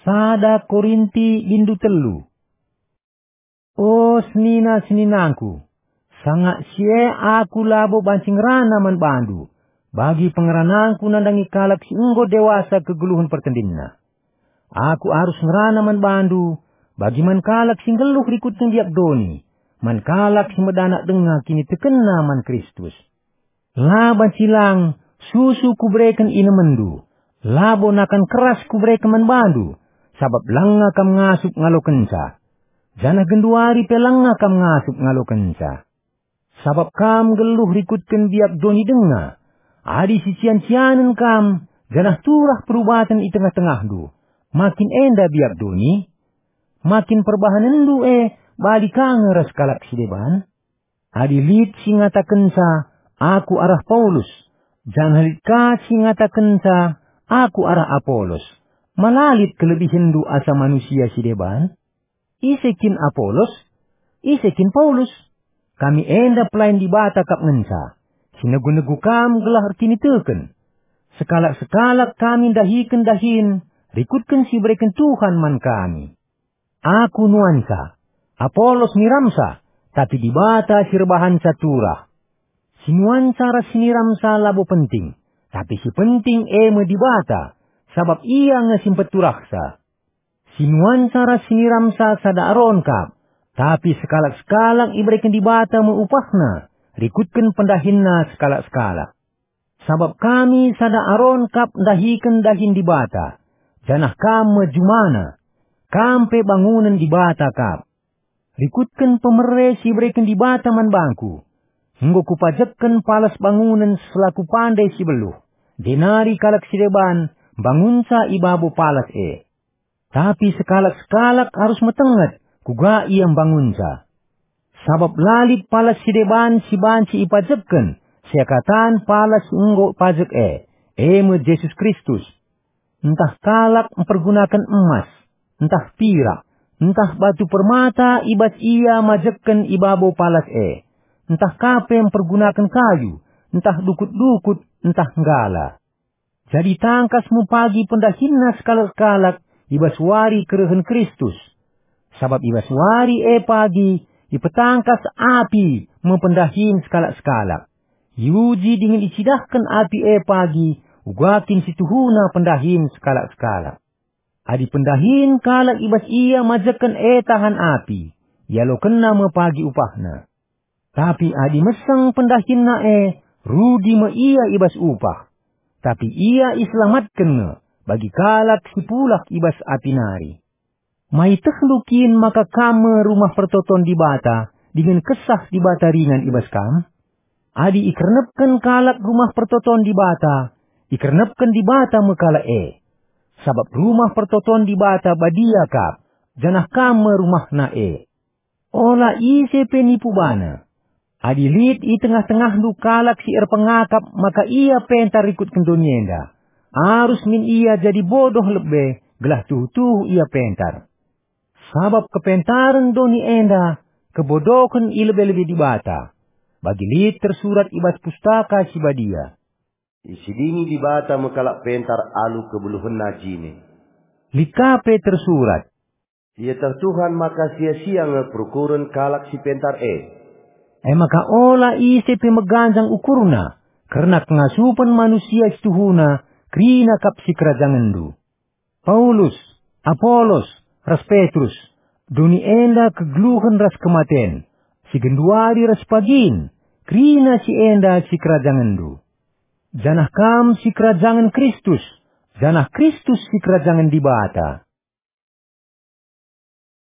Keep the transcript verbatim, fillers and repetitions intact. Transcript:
Sada Korinti bindu telu. O senina-seninangku, sanga si e aku labo banci ngerana man bandu, bagi pengeranangku nandangi kalak si enggo dewasa kegeluhen pertendinna. Aku arus ngerana man bandu, bagi man kalak si nggeluh rikutken biak doni, man kalak si medanak denga kinitekenna man Kristus. La banci lang susu kubereken inemenndu, labo nakan keras kubereken man bandu, sabap langa kam ngasup ngalokenca. Janah genduari pe langa kam ngasup ngalokenca. Sabap kam nggeluh rikutken biak doni denga. Adi sician-cianen kam, janah turah perubaten i tengah-tengahndu, makin enda biak doni, makin perbahanenndu e bali ka nge ras kalak si deban? Adi lit si ngatakenca, "Aku arah Paulus," janah lit ka si ngatakenca, "Aku arah Apolos," ma la lit kelebihenndu asa manusia si deban? Ise kin Apolos? Ise kin Paulus? Kami enda pelayan Dibata kap ngenca. Sinegu-negu kam gelah erkiniteken. Sekalak-sekalak kami ndahiken dahin, rikutken si ibereken Tuhan man kami. Aku nuanca, Apolos niramsa, tapi Dibata si erbahanca turah. Si nuanca ras si niramsa labo penting, tapi si penting e me Dibata, sabap Ia nge si mpeturahsa. Si nuanca ras si niramsa sada aron kap, tapi sekalak-sekalak ibereken Dibata me upahna, rikutken pendahinna sekalak-sekalak. Sabap kami sada aron kap ndahiken dahin Dibata, janah kam me jumana. Kam pe bangunen Dibata kap. Rikutken pemere si ibereken Dibata man bangku, enggo kupajekken palas bangunen selaku pande si beluh, jenari kalak si deban mbangunca i babo palas e. Tapi sekalak-sekalak arus metenget kuga ia mbangunca. Sabap la lit palas si deban si banci ipajekken seakatan palas si enggo pajek e, e me Jesus Kristus. Ntah kalak mpergunaken emas, ntah pirak, ntah batu permata i bas ia majekken i babo palas e, ntah ka pe mpergunaken kayu, ntah dukut-dukut, ntah nggala. Jadi tangkas me pagi pendahinna sekalak-sekalak i bas wari kerehen Kristus. Sabap i bas wari e pagi ipetangkas api me pendahin sekalak-sekalak. Iuji dingen icidahken api e pagi uga kin si tuhuna pendahin sekalak-sekalak. Adi pendahin kalak i bas ia majekken e tahan api, ialokenna me pagi upahna. Tapi adi meseng pendahinna e, rudi me ia i bas upah. Tapi ia iselamatken nge bagi kalak si pulah i bas api nari. Maitehndu kin maka kam me rumah pertoton Dibata dingen Kesah Dibata ringan i bas kam? Adi ikernepken kalak rumah pertoton Dibata, ikernepken Dibata me kalak e. Sabap rumah pertoton Dibata badia kap, janah kam me rumahna e. Ola ise pe nipu bana. Adi lit i tengah-tengahndu kalak si erpengakap maka ia pentar rikutken doni enda, arus min ia jadi bodoh lebe gelah tuhu-tuhu ia pentar. Sabap kepentaren doni enda kebodohen i lebe-lebe Dibata. Bagi lit tersurat i bas Pustaka Si Badia, "Isidingi Dibata me kalak pentar alu kebeluhenna jine." Lit ka pe tersurat, "Ieteh Tuhan maka sia-sia nge perukuren kalak si pentar e." E maka ola ise pe meganjang ukurna kerna kengasupen manusia si tuhuna kerina kap sikerajangenndu. Paulus, Apolos, ras Petrus, doni enda kegeluhen ras kematen, si genduari ras pagin, kerina si enda sikerajangenndu. Janah kam sikerajangen Kristus, janah Kristus sikerajangen Dibata.